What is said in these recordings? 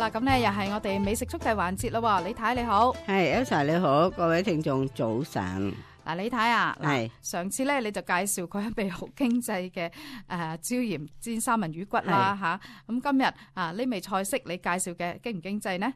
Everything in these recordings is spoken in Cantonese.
啦，咁咧又係我哋美食速遞環節咯。李太你好，係 Elsa 你好，各位聽眾早晨。嗱，李太啊，係上次咧你就介紹過一味好經濟嘅椒鹽煎三文魚骨啦吓，咁今日呢味菜式你介紹嘅經唔經濟呢？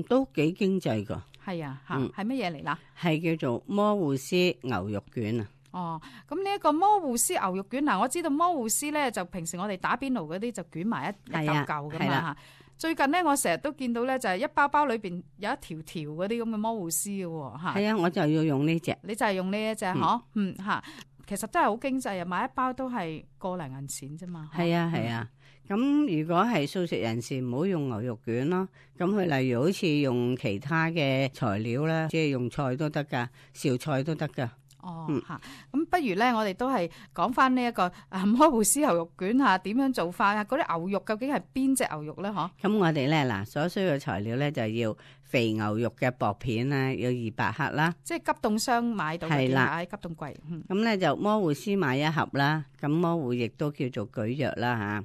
都幾經濟噶。係啊吓，係乜嘢嚟啦？係叫做摩戶絲牛肉卷啊。哦，咁呢一個摩戶絲牛肉卷，嗱我知道摩戶絲咧就平時我哋打邊爐嗰啲就捲埋一嚿嚿噶嘛吓。最近咧我成日都見到咧就係一包包裏邊有一條條嗰啲咁嘅摩戶絲嘅吓。係啊，我就要用呢隻。你就係用呢一隻嗬？吓，其實真係好經濟啊，買一包都係個零銀錢啫嘛。係啊係啊，咁如果係素食人士唔好用牛肉卷咯，咁佢例如好似用其他嘅材料啦，即係用菜都得噶，紹菜都得噶。哦，吓，咁不如咧，我哋都係講翻呢一個摩戶絲牛肉卷吓，點樣做法啊？嗰啲牛肉究竟係邊隻牛肉咧？嗬？咁我哋咧嗱，所需嘅材料咧就要肥牛肉嘅薄片啦，要200克啦，即係急凍箱買到嘅，喺急凍櫃。咁咧就摩戶絲買1盒啦，咁摩戶亦都叫做蒟蒻啦吓。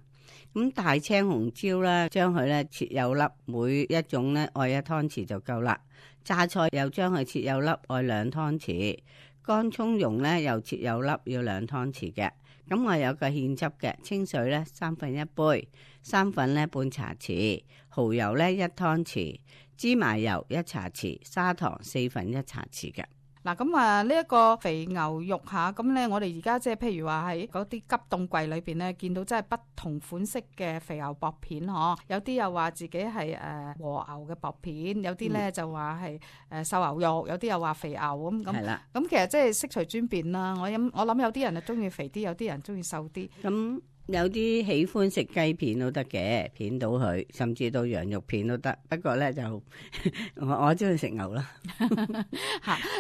咁大青紅椒啦，將佢咧切幼粒，每一種咧愛1湯匙就夠啦。榨菜又將佢切幼粒，愛2湯匙。乾葱蓉咧又切幼粒，要2湯匙嘅。咁我有個芡汁嘅，清水咧1/3杯，生粉咧半茶匙，蠔油咧1湯匙，芝麻油1茶匙，砂糖1/4茶匙嘅。嗱，咁呢一個肥牛肉吓，咁咧我哋而家即係譬如話喺嗰啲急凍櫃裏邊咧，見到真係不同款式嘅肥牛薄片嗬，有啲又話自己係和牛嘅薄片，有啲咧就話係瘦牛肉，有啲又話肥牛咁。係啦，咁其實即係悉隨尊便啦。我諗有啲人就中意肥啲，有啲人中意瘦啲。咁有啲喜歡食雞片都得嘅，片到佢，甚至到羊肉片都得。不過咧就我中意食牛啦。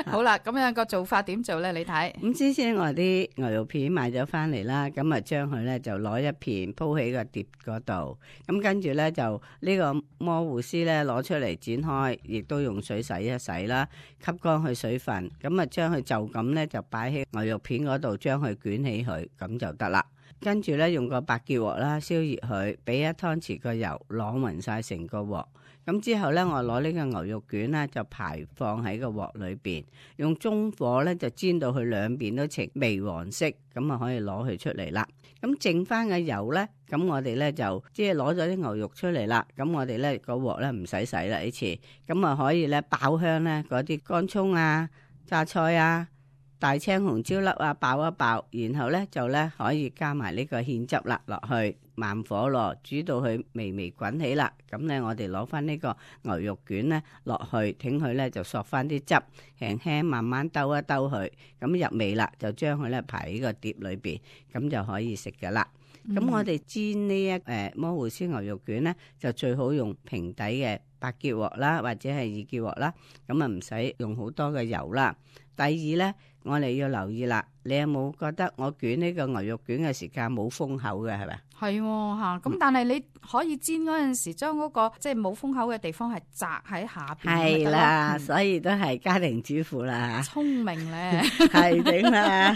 好啦，咁樣個做法點做咧？你睇。咁先我啲牛肉片買咗翻嚟啦，咁啊將佢咧就攞一片鋪喺個碟嗰度。咁跟住咧就呢個摩戶絲咧攞出嚟剪開，亦都用水洗一洗啦，吸乾佢水分。咁啊將佢就咁咧就擺喺牛肉片嗰度，將佢捲起佢，咁就得啦。跟住咧用個白鐵鑊啦，燒熱佢，俾1湯匙個油，晾勻晒成個鑊。咁之後咧，我攞呢個牛肉卷咧就排放喺個鑊裏邊，用中火咧就煎到佢兩邊都呈微黃色，咁啊可以攞佢出嚟啦。咁剩翻嘅油咧，咁我哋咧就即係攞咗啲牛肉出嚟啦。咁我哋咧個鑊咧唔使洗啦呢次，咁啊可以咧爆香咧嗰啲乾葱啊、榨菜啊、大青紅椒粒啊，爆一爆，然後咧就咧可以加埋呢個芡汁啦落去，慢火咯，煮到佢微微滾起啦。咁咧我哋攞翻呢個牛肉卷咧落去，挺佢咧就索翻啲汁，輕輕慢慢兜一兜佢，咁入味啦，就將佢咧排喺個碟裏邊，咁就可以食噶啦。咁我哋煎呢一摩戶絲牛肉卷咧，就最好用平底嘅白鐵鑊啦，或者係2鐵鑊啦，咁啊唔使用好多嘅油啦。第二咧，我哋要留意啦，你有冇覺得我捲呢個牛肉卷嘅時間冇封口嘅係咪？係吓，咁但係你可以煎嗰陣時，將嗰個即係冇封口嘅地方係擲喺下邊。係啦，所以都係家庭主婦啦。聰明咧，係頂啦，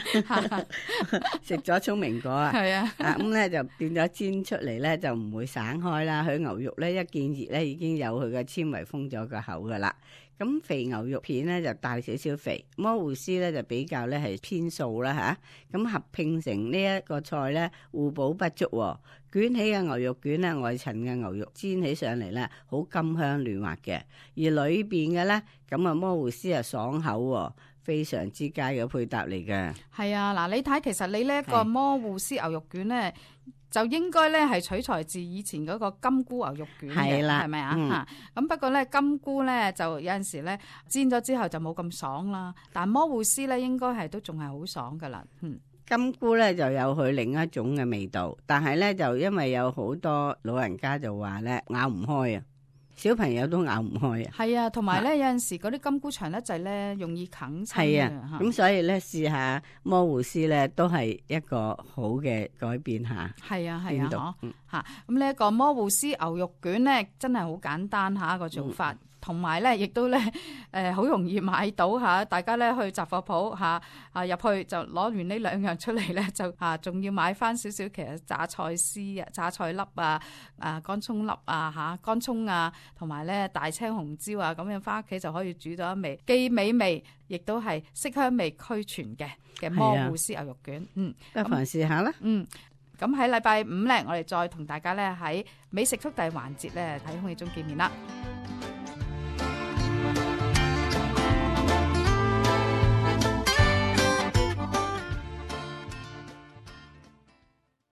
食咗聰明果啊。係啊，咁咧就變咗煎出嚟咧就唔會散開啦。佢牛肉咧一見熱咧已經有佢嘅纖維封咗個口噶啦。咁肥牛肉片咧就大少少肥，摩戶絲咧就比較咧係偏素啦吓。咁合拼成呢一個菜咧互補不足。捲起嘅牛肉卷咧，外層嘅牛肉煎起上嚟咧好甘香嫩滑嘅，而裏邊嘅咧咁啊摩戶絲啊爽口，非常之佳嘅配搭嚟嘅。係啊，嗱你睇，其實你呢一個摩戶絲牛肉卷咧，就應該咧係取材自以前嗰個金菇牛肉卷嘅，係咪啊？咁不過咧金菇咧就有陣時咧煎咗之後就冇咁爽啦，但摩戶絲咧應該係都仲係好爽噶啦。金菇咧就有佢另一種嘅味道，但係咧就因為有好多老人家就話咧咬唔開啊，小朋友都咬唔開啊。係啊，同埋咧有陣時嗰啲金菇長得滯咧容易啃親。係啊，咁所以咧試下摩戶絲咧都係一個好嘅改變下。係啊係啊，吓咁呢一個摩戶絲牛肉卷咧真係好簡單吓個做法。同埋咧亦都咧好容易買到嚇，大家咧去雜貨鋪嚇入去就攞完呢兩樣出嚟咧，就仲要買翻少少其實榨菜絲啊、榨菜粒啊、乾葱粒啊嚇、乾葱啊，同埋咧大青紅椒啊，咁樣翻屋企就可以煮到一味既美味，亦都係色香味俱全嘅魔芋絲牛肉卷。不妨試下啦。咁喺禮拜五咧，我哋再同大家咧喺美食速遞環節咧喺空氣中見面啦。